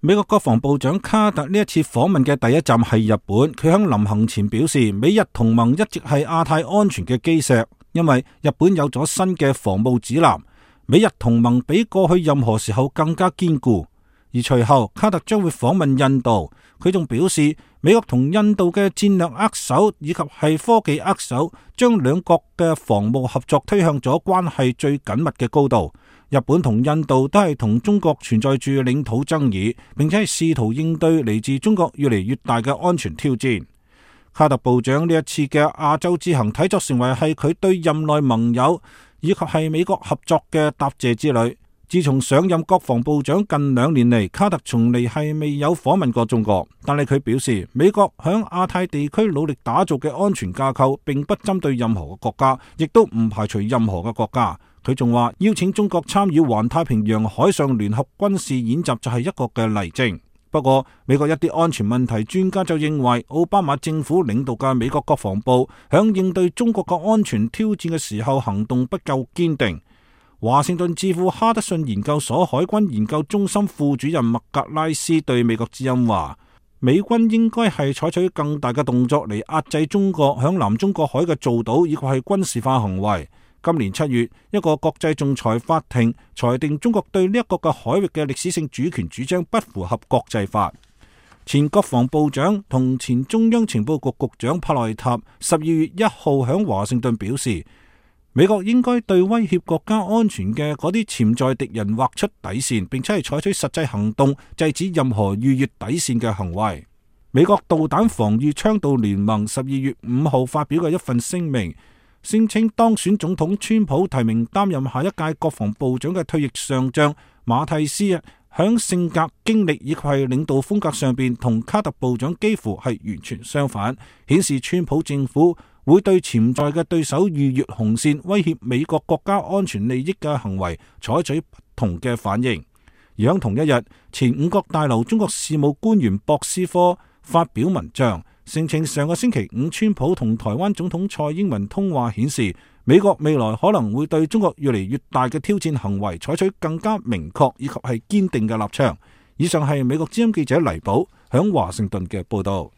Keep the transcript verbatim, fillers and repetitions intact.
美國國防部長卡特呢一次訪問嘅第一站係日本，佢喺臨行前表示，美日同盟一直係亞太安全嘅基石，因為日本有咗新嘅防務指南，美日同盟比過去任何時候更加堅固。而隨後卡特將會訪問印度，佢仲表示，美國同印度嘅戰略握手以及係科技握手，將兩國嘅防務合作推向咗關係最緊密嘅高度。日本同印度都係同中國存在住領土爭議，並且係試圖應對嚟自中國越嚟越大嘅安全挑戰。卡特部長呢一次嘅亞洲之行睇作成為係佢對任內盟友以及係美國合作嘅答謝之旅。自從上任國防部長近兩年嚟，卡特從嚟係未有訪問過中國，但係佢表示，美國響亞太地區努力打造嘅安全架構並不針對任何嘅國家，亦都唔排除任何嘅國家。佢仲話邀請中國參與環太平洋海上聯合軍事演習就係一個嘅例證。不過美國一啲安全問題專家就認為，奧巴馬政府領導嘅美國國防部響應對中國嘅安全挑戰嘅時候行動不夠堅定。華盛頓智庫哈德遜研究所海軍研究中心副主任麥格拉斯對美國之音話，美軍應該係採取更大嘅動作嚟壓制中國響南中國海嘅造島以及係軍事化行為。今年七月，一個國際仲裁法庭裁定中國對呢一個嘅海域嘅歷史性主權主張不符合國際法。前國防部長同前中央情報局局長帕內塔十二月一號響華盛頓表示，美國應該對威脅國家安全嘅嗰啲潛在敵人劃出底線，並且係採取實際行動制止任何逾越底線嘅行為。美國導彈防禦倡導聯盟十二月五號發表嘅一份聲明，聲稱當選總統川普提名擔任下一屆國防部長嘅退役上將馬蒂斯，響性格、經歷以及係領導風格上邊同卡特部長幾乎係完全相反，顯示川普政府會對潛在嘅對手逾越紅線、威脅美國國家安全利益嘅行為採取不同嘅反應。而喺同一日，前五角大樓中國事務官員博斯科發表文章，聲稱上個星期五川普同台灣總統蔡英文通話顯示，美國未來可能會對中國越嚟越大嘅挑戰行為採取更加明確以及係堅定嘅立場。以上係美國之音記者黎寶響華盛頓嘅報道。